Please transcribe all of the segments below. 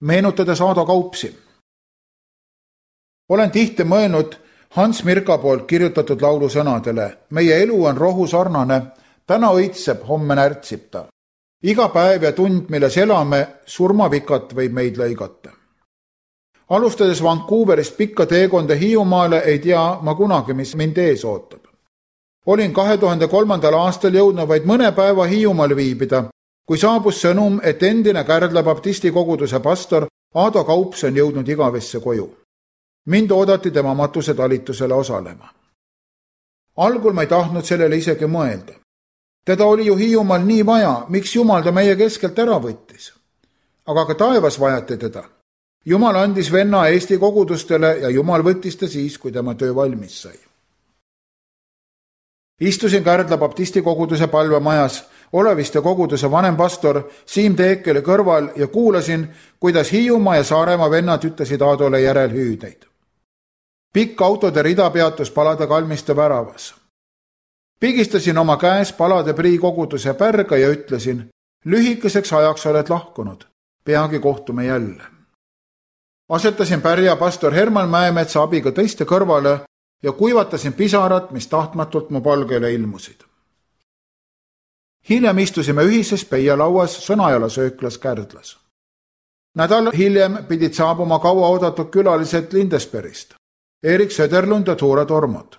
meenutades Aado Kaupsi. Olen tihti mõelnud Hans Mirka poolt kirjutatud laulu sõnadele. Meie elu on rohusarnane, täna õitseb, homme närtsib ta. Iga päev ja tund, milles elame, surmavikat võib meid lõigata. Alustades Vancouverist pikka teekonda Hiiumaale ei tea ma kunagi, mis mind ees ootab. Olin 2003. aastal jõudnud vaid mõne päeva Hiiumaal viibida, kui saabus sõnum, et endine Kärdla baptisti koguduse pastor Aado Kaups on jõudnud igavesse koju. Mind oodati tema matuse talitusele osalema. Algul ma ei tahtnud sellele isegi mõelda. Teda oli ju Hiiumaal nii vaja, miks Jumal ta meie keskelt ära võttis. Aga ka taevas vajati teda. Jumal andis venna Eesti kogudustele ja Jumal võttis ta siis, kui tema töö valmis sai. Istusin Kärdla baptisti koguduse palvemajas, Oleviste koguduse vanempastor Siim Teekeli kõrval ja kuulasin, kuidas Hiiumaa ja Saaremaa vennad ütlesid Aadole järelhüüdeid. Pikk autode rida peatus Palade kalmiste väravas. Pigistasin oma käes Palade Prii koguduse pärga ja ütlesin, lühikeseks ajaks oled lahkunud, peagi kohtume jälle. Asetasin pärja pastor Herman Mäemetsa abiga teiste kõrvale ja kuivatasin pisarat, mis tahtmatult mu palgele ilmusid. Hiljem istusime ühises peialauas Sõnajala sööklas Kärdlas. Nädal hiljem pidid saabuma kaua oodatud külalised Lindesbergist, Erik Söderlund ja Tuure Tormod.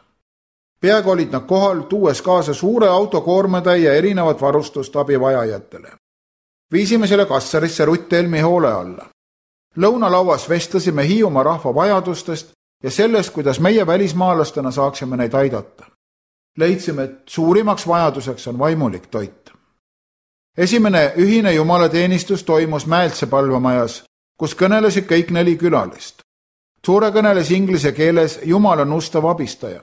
Peaaegu olid nad kohal, tuues kaasa suure autokoormetäie erinevat varustust abivajajatele. Viisime selle Kassarisse Rutt Helmi hoole alla. Lõunalauas vestlesime Hiiumaa rahva vajadustest ja sellest, kuidas meie välismaalastena saaksime neid aidata. Leidsime, et suurimaks vajaduseks on vaimulik toit. Esimene ühine jumalateenistus toimus Mäeltse palvemajas, kus kõnelesid kõik 4 külalist. Tuure kõneles inglise keeles Jumal on ustav abistaja.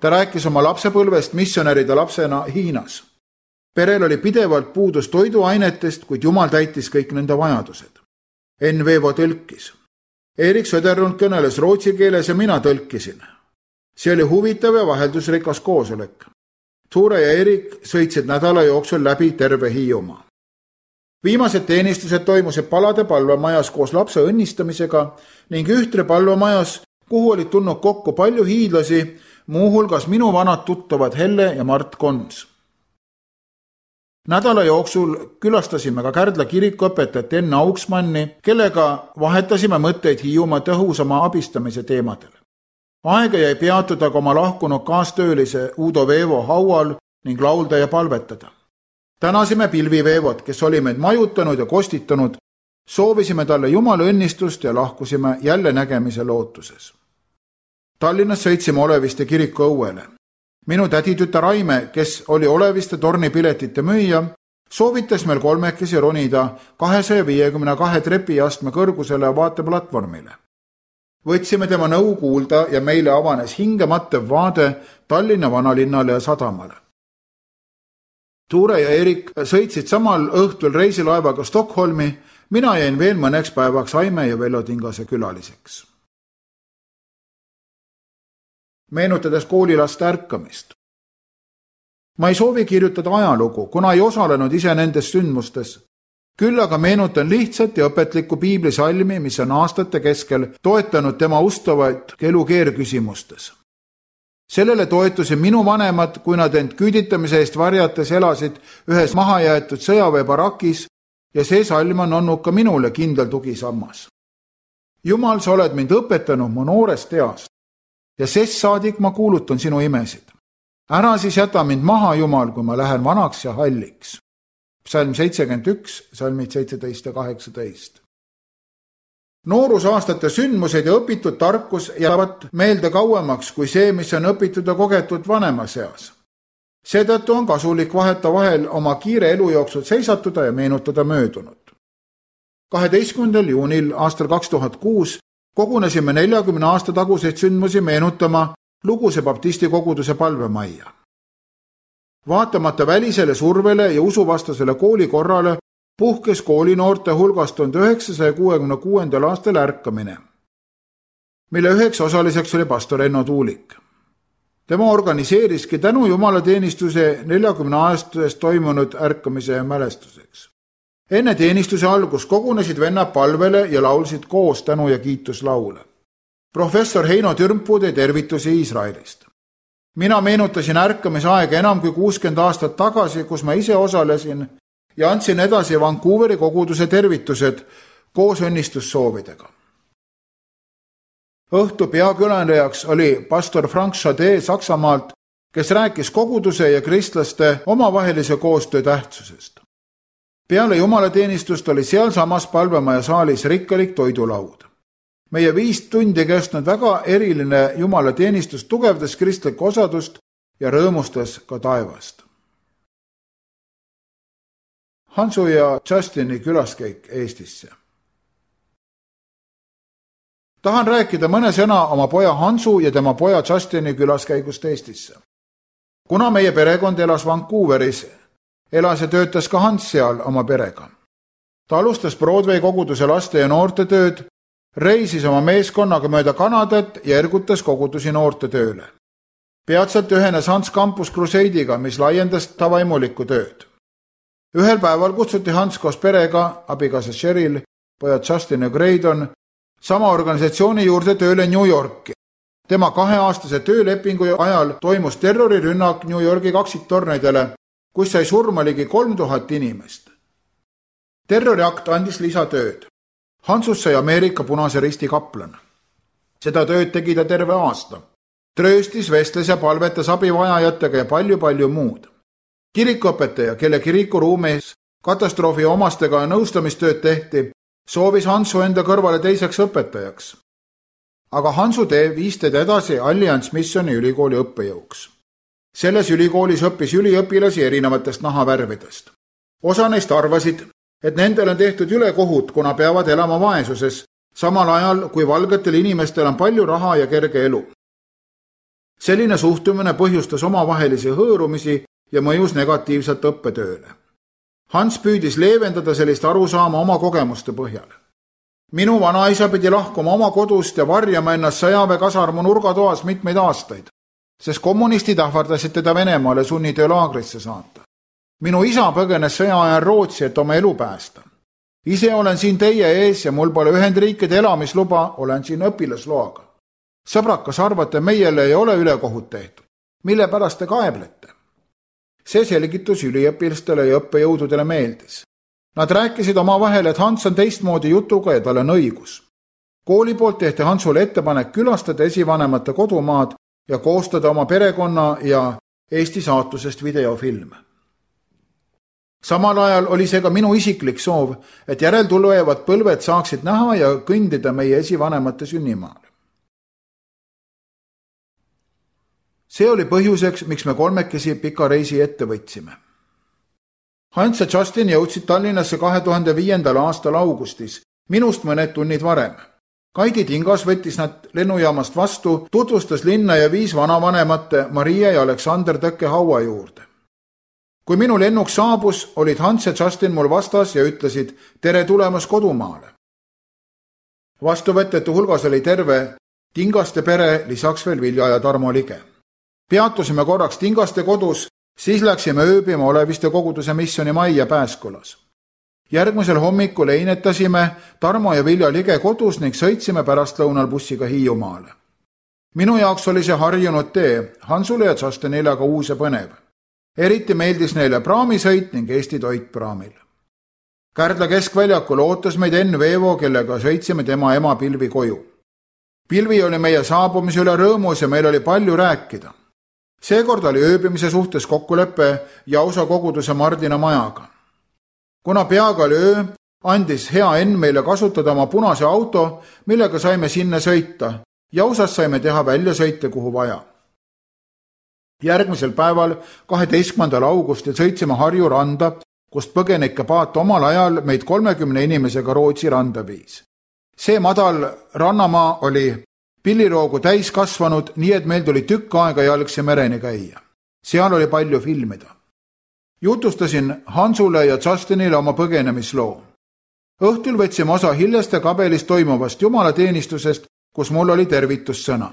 Ta rääkis oma lapsepõlvest missionäride lapsena Hiinas. Perel oli pidevalt puudus toiduainetest, kuid Jumal täitis kõik nende vajadused. N-Vevo tõlkis. Erik Söderlund kõneles rootsi keeles ja mina tõlkisin. See oli huvitav ja vaheldusrikas koosolek. Tuure ja Erik sõitsid nädala jooksul läbi terve Hiiumaa. Viimased teenistused toimusid Palade palvemajas koos lapse õnnistamisega ning Ühtre palvemajas, kuhu olid tulnud kokku palju hiidlasi, muuhulgas minu vanad tuttavad Helle ja Mart Kons. Nädala jooksul külastasime ka Kärdla kirikuõpetajat Enn Auksmanni, kellega vahetasime mõtteid Hiiumaa tõhusama abistamise teemadel. Aega jäi peatuda ka oma lahkunud kaastöölise Udo Veevo haual ning laulda ja palvetada. Tänasime Pilvi Veevot, kes oli meid majutanud ja kostitanud, soovisime talle Jumala õnnistust ja lahkusime jälle nägemise lootuses. Tallinnas sõitsime Oleviste kiriku õuele. Minu täditütar Raime, kes oli Oleviste tornipiletite müüja, soovitas meil kolmekesi ronida 252 trepiastme kõrgusele vaateplatvormile. Võtsime tema nõu kuulda ja meile avanes hingematev vaade Tallinna vanalinnale ja sadamale. Tuure ja Erik sõitsid samal õhtul reisilaevaga Stockholmi, mina jäin veel mõneks päevaks Aime ja Vello Tingase külaliseks. Meenutades koolilaste ärkamist. Ma ei soovi kirjutada ajalugu, kuna ei osalenud ise nendes sündmustes. Küll aga meenutan lihtsat ja õpetlikku piiblisalmi, mis on aastate keskel toetanud tema ustavaid elukeerküsimustes. Sellele toetusid minu vanemad, kui nad end küüditamise eest varjates elasid ühes mahajäetud sõjaväebarakis ja see salm on olnud ka minule kindel tugisammas. Jumal, sa oled mind õpetanud mu noorest east ja sest saadik ma kuulutan sinu imesid. Ära siis jäta mind maha, Jumal, kui ma lähen vanaks ja halliks. Psalm 71, salmid 17 ja 18. Noorusaastate sündmused ja õpitud tarkus jäävad meelde kauemaks kui see, mis on õpitud ja kogetud vanemas eas. Seetõttu on kasulik vaheta vahel oma kiire elujooksud seisatuda ja meenutada möödunut. 12. juunil aastal 2006 kogunesime 40 aasta taguseid sündmusi meenutama Luguse baptisti koguduse palvemajja. Vaatamata välisele survele ja usuvastasele koolikorrale puhkes koolinoorte hulgas 1966. aastal ärkamine, mille üheks osaliseks oli pastor Enno Tuulik. Tema organiseeriski tänu jumalateenistuse 40 aastast toimunud ärkamise mälestuseks. Enne teenistuse algust kogunesid vennad palvele ja laulsid koos tänu- ja kiituslaule. Professor Heino Türmpuu tõi tervitusi Iisraelist. Mina meenutasin ärkamisaega enam kui 60 aastat tagasi, kus ma ise osalesin ja andsin edasi Vancouveri koguduse tervitused koos õnnistussoovidega. Õhtu peakülalejaks oli pastor Frank Schade Saksamaalt, kes rääkis koguduse ja kristlaste omavahelise koostöö tähtsusest. Peale jumalateenistust oli sealsamas palvemaja saalis rikkalik toidulaud. Meie 5 tundi kestnud väga eriline jumalateenistus tugevdas kristlikku osadust ja rõõmustas ka taevast. Hansu ja Justini külaskäik Eestisse. Tahan rääkida mõne sõna oma poja Hansu ja tema poja Justini külaskäigust Eestisse. Kuna meie perekond elas Vancouveris, elas ja töötas ka Hans seal oma perega. Ta alustas Broadway koguduse laste ja noorte tööd, reisis oma meeskonnaga mööda Kanadat ja ergutas kogudusi noorte tööle. Peatselt ühenes Hans Campus Crusade'iga, mis laiendas ta vaimulikku tööd. Ühel päeval kutsuti Hans koos perega, abikaasa Cheryl, pojad Justin ja Graydon, sama organisatsiooni juurde tööle New Yorki. Tema 2-aastase töölepingu ajal toimus terrorirünnak New Yorgi kaksiktornidele, kus sai surma ligi 3000 inimest. Terroriakt andis lisatööd. Hansust sai Ameerika Punase Risti kaplan. Seda tööd tegi ta terve aasta. Trööstis, vestles ja palvetas abivajajatega ja palju muud. Kirikuõpetaja, kelle kirikuruumis katastroofi omastega nõustamistööd tehti, soovis Hansu enda kõrvale teiseks õpetajaks. Aga Hansu tee viis teda edasi Alliance Missioni ülikooli õppejõuks. Selles ülikoolis õppis üliõpilasi erinevatest nahavärvidest. Osa neist arvasid, et nendel on tehtud ülekohut, kuna peavad elama vaesuses, samal ajal kui valgetel inimestel on palju raha ja kerge elu. Selline suhtumine põhjustas omavahelisi hõõrumisi ja mõjus negatiivselt õppetööle. Hans püüdis leevendada sellist arusaama oma kogemuste põhjal. Minu vanaisa pidi lahkuma oma kodust ja varjama ennast sõjaväekasarmu nurgatoas mitmeid aastaid, sest kommunistid ähvardasid teda Venemaale sunnitöölaagrisse saata. Minu isa põgenes sõja ajal Rootsi, et oma elu päästa. Ise olen siin teie ees ja mul pole Ühendriikide elamisluba, olen siin õpilasloaga. Sõbrad, kas arvate, meile ei ole ülekohut tehtud? Mille pärast te kaeblete? See selgitus üliõpilastele ja õppejõududele meeldis. Nad rääkisid omavahel, et Hans on teistmoodi jutuga ja tal on õigus. Kooli poolt tehti Hansule ettepanek külastada esivanemate kodumaad ja koostada oma perekonna ja Eesti saatusest videofilm. Samal ajal oli see ka minu isiklik soov, et järeltulevad põlved saaksid näha ja kõndida meie esivanemate sünnimaal. See oli põhjuseks, miks me kolmekesi pika reisi ette võtsime. Hans ja Justin jõudsid Tallinnasse 2005. aastal augustis, minust mõned tunnid varem. Kaidi Tingas võttis nad lennujaamast vastu, tutvustas linna ja viis vanavanemate Maria ja Aleksander Tõkke haua juurde. Kui minu lennuk saabus, olid Hans ja Justin mul vastas ja ütlesid, tere tulemast kodumaale. Vastuvõtjate hulgas oli terve Tingaste pere, lisaks veel Vilja ja Tarmo Lige. Peatusime korraks Tingaste kodus, siis läksime ööbima Oleviste koguduse missioni majja Pääskülas. Järgmisel hommikul einetasime Tarmo ja Vilja Lige kodus ning sõitsime pärastlõunal bussiga Hiiumaale. Minu jaoks oli see harjunud tee, Hansule ja Justinile aga uus ja põnev. Eriti meeldis neile praamisõit ning Eesti toit praamil. Kärdla keskväljakul ootas meid Enn Veevo, kellega sõitsime tema ema Pilvi koju. Pilvi oli meie saabumise üle rõõmus ja meil oli palju rääkida. Seekord oli ööbimise suhtes kokkuleppe Jausa koguduse Mardina majaga. Kuna peaaegu oli öö, andis hea Enn meile kasutada oma punase auto, millega saime sinna sõita. Jausas saime teha väljasõite kuhu vaja. Järgmisel päeval, 12. augustil sõitsime Harju randa, kust põgenike paat omal ajal meid 30 inimesega Rootsi randa viis. See madal rannamaa oli pilliroogu täis kasvanud, nii et meil tuli tükk aega jalgsi mereni käia. Seal oli palju filmida. Jutustasin Hansule ja Justinile oma põgenemisloo. Õhtul võtsime osa Hilleste kabelis toimuvast jumalateenistusest, kus mul oli tervitussõna.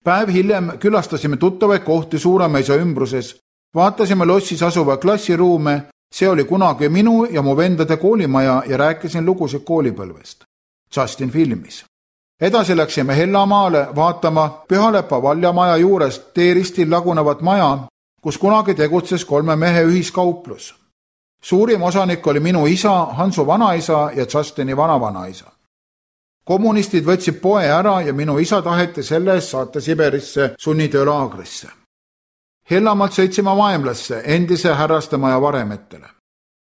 Päev hiljem külastasime tuttavaid kohti Suuremeisa ümbruses, vaatasime lossis asuva klassiruume See oli kunagi minu ja mu vendade koolimaja ja rääkisin lugusid koolipõlvest. Justin filmis. Edasi läksime Hellamaale vaatama Pühalepa valjamaja juurest teeristil lagunevat maja, kus kunagi tegutses 3 mehe ühiskauplus. Suurim osanik oli minu isa, Hansu vanaisa ja Justini vanavanaisa. Kommunistid võtsid poe ära ja minu isa taheti selle eest saata Siberisse sunnitöölaagrisse. Hellamaalt sõitsime Vaemlasse, endise härrastemaja varemetele.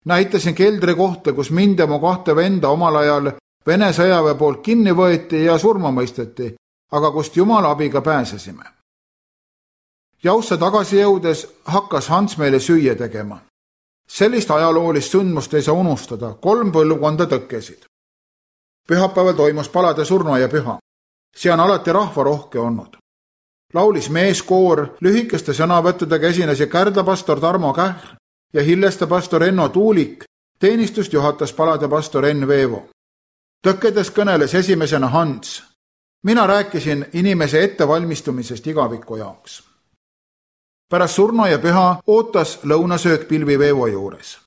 Näitasin keldri kohta, kus mind ja mu 2 venda omal ajal Vene sõjaväe poolt kinni võeti ja surma mõisteti, aga kust Jumala abiga pääsesime. Jausse tagasi jõudes hakkas Hans meile süüa tegema. Sellist ajaloolist sündmust ei saa unustada, 3 põlvkonda tõkkesid. Pühapäeval toimus palade surnuaia püha. See on alati rahvarohke olnud. Laulis meeskoor, lühikeste sõnavõttudega esinesid Kärdla pastor Tarmo Kähr ja Hilleste pastor Enno Tuulik, teenistust juhatas palade pastor Enn Veevo. Tõkkedes kõneles esimesena Hans. Mina rääkisin inimese ettevalmistumisest igaviku jaoks. Pärast surnuaia püha ootas lõunasöök Pilvi Veevo juures.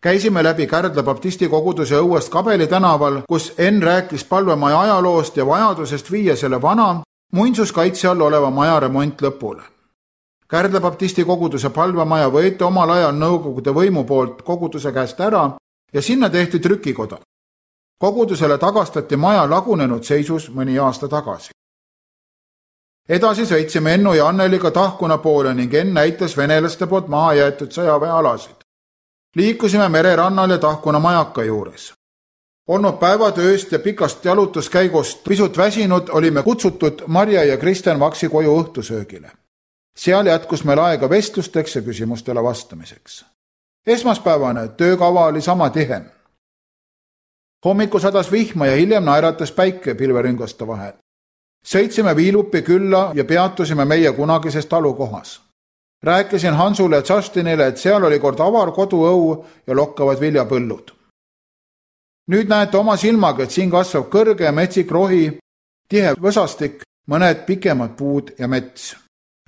Käisime läbi Kärdla baptisti koguduse õuest Kabeli tänaval, kus Enn rääkis palvemaja ajaloost ja vajadusest viia selle vana, muinsuskaitse all oleva maja remont lõpule. Kärdla baptisti koguduse palvemaja võeti omal ajal Nõukogude võimu poolt koguduse käest ära ja sinna tehti trükikoda. Kogudusele tagastati maja lagunenud seisus mõni aasta tagasi. Edasi sõitsime Ennu ja Anneliga Tahkuna poole ning Enn näitas venelaste poolt maha jäetud sõjaväealasid. Liikusime mererannal ja Tahkuna majaka juures. Olnud päevatööst ja pikast jalutuskäigust pisut väsinud, olime kutsutud Marja ja Kristjan Vaksi koju õhtusöögile. Seal jätkus meil aega vestlusteks ja küsimustele vastamiseks. Esmaspäevane töökava oli sama tihe. Hommikul sadas vihma ja hiljem naeratas päike pilverüngaste vahel. Sõitsime Viilupi külla ja peatusime meie kunagises talukohas. Rääkisin Hansule ja Justinile, et seal oli kord avar koduõu ja lokkavad viljapõllud. Nüüd näete oma silmaga, et siin kasvab kõrge ja metsik rohi, tihe võsastik, mõned pikemad puud ja mets.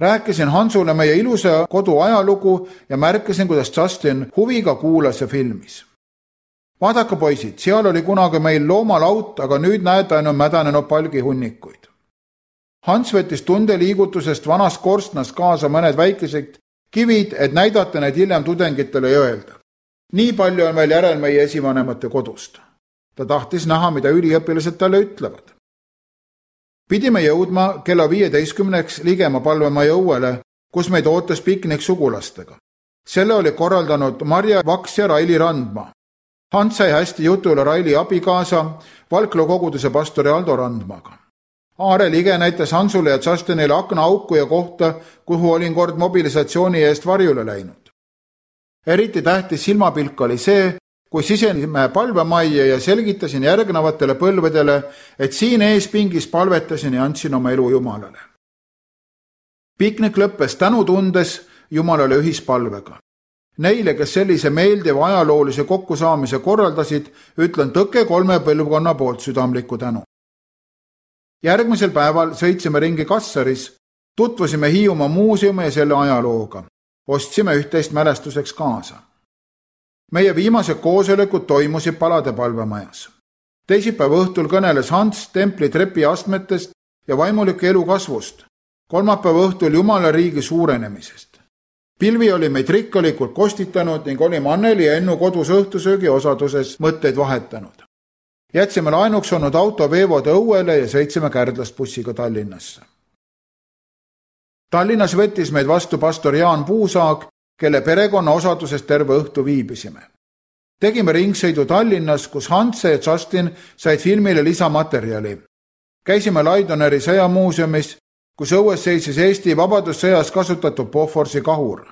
Rääkisin Hansule meie ilusa kodu ajalugu ja märkasin, kuidas Justin huviga kuulas ja filmis. Vaadake poisid, seal oli kunagi meil loomalaut, aga nüüd näete ainult mädanenud palgihunnikuid. Hans võttis tundeliigutusest vanast korstnast kaasa mõned väikesed kivid, et näidata need hiljem tudengitele ja öelda. Nii palju on veel järel meie esivanemate kodust. Ta tahtis näha, mida üliõpilased talle ütlevad. Pidime jõudma kella 15 ligema palvemaja õuele, kus meid ootas piknik sugulastega. Selle oli korraldanud Marja Vaks ja Raili Randma. Hans sai hästi jutule Raili abikaasa, Valklo koguduse pastori Aldo Randmaga. Aare Lige näitas Hansule ja Justinile aknaauku ja kohta, kuhu olin kord mobilisatsiooni eest varjule läinud. Eriti tähtis silmapilk oli see, kui sisenesime palvemajja ja selgitasin järgnevatele põlvedele, et siin eespingis palvetasin ja andsin oma elu Jumalale. Piknik lõppes tänutundes Jumalale ühispalvega. Neile, kes sellise meeldiva ajaloolise kokkusaamise korraldasid, ütlen Tõkke 3 põlvkonna poolt südamlikku tänu. Järgmisel päeval sõitsime ringi Kassaris, tutvusime Hiiumaa muuseumi ja selle ajalooga. Ostsime üht-teist mälestuseks kaasa. Meie viimased koosolekud toimusid palade palvemajas. Teisipäeva õhtul kõneles Hans templi trepi astmetest ja vaimulike elu kasvust. Kolmapäeva õhtul Jumala riigi suurenemisest. Pilvi oli meid rikkalikult kostitanud ning olime Anneli ja Ennu kodus õhtusöögi osaduses mõtteid vahetanud. Jätsime laenuks olnud auto Veevode õuele ja sõitsime Kärdlast bussiga Tallinnasse. Tallinnas võttis meid vastu pastor Jaan Puusaag, kelle perekonna osadusest terve õhtu viibisime. Tegime ringsõidu Tallinnas, kus Hans ja Justin said filmile lisamaterjali. Käisime Laidoneri sõjamuuseumis, kus õues seisis Eesti vabadussõjas kasutatud Boforsi kahur.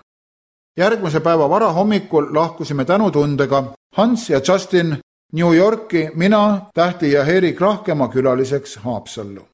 Järgmise päeva varahommikul lahkusime tänutundega Hans ja Justin New Yorki, mina, Tähti ja Erik Rahkemaa külaliseks Haapsallu.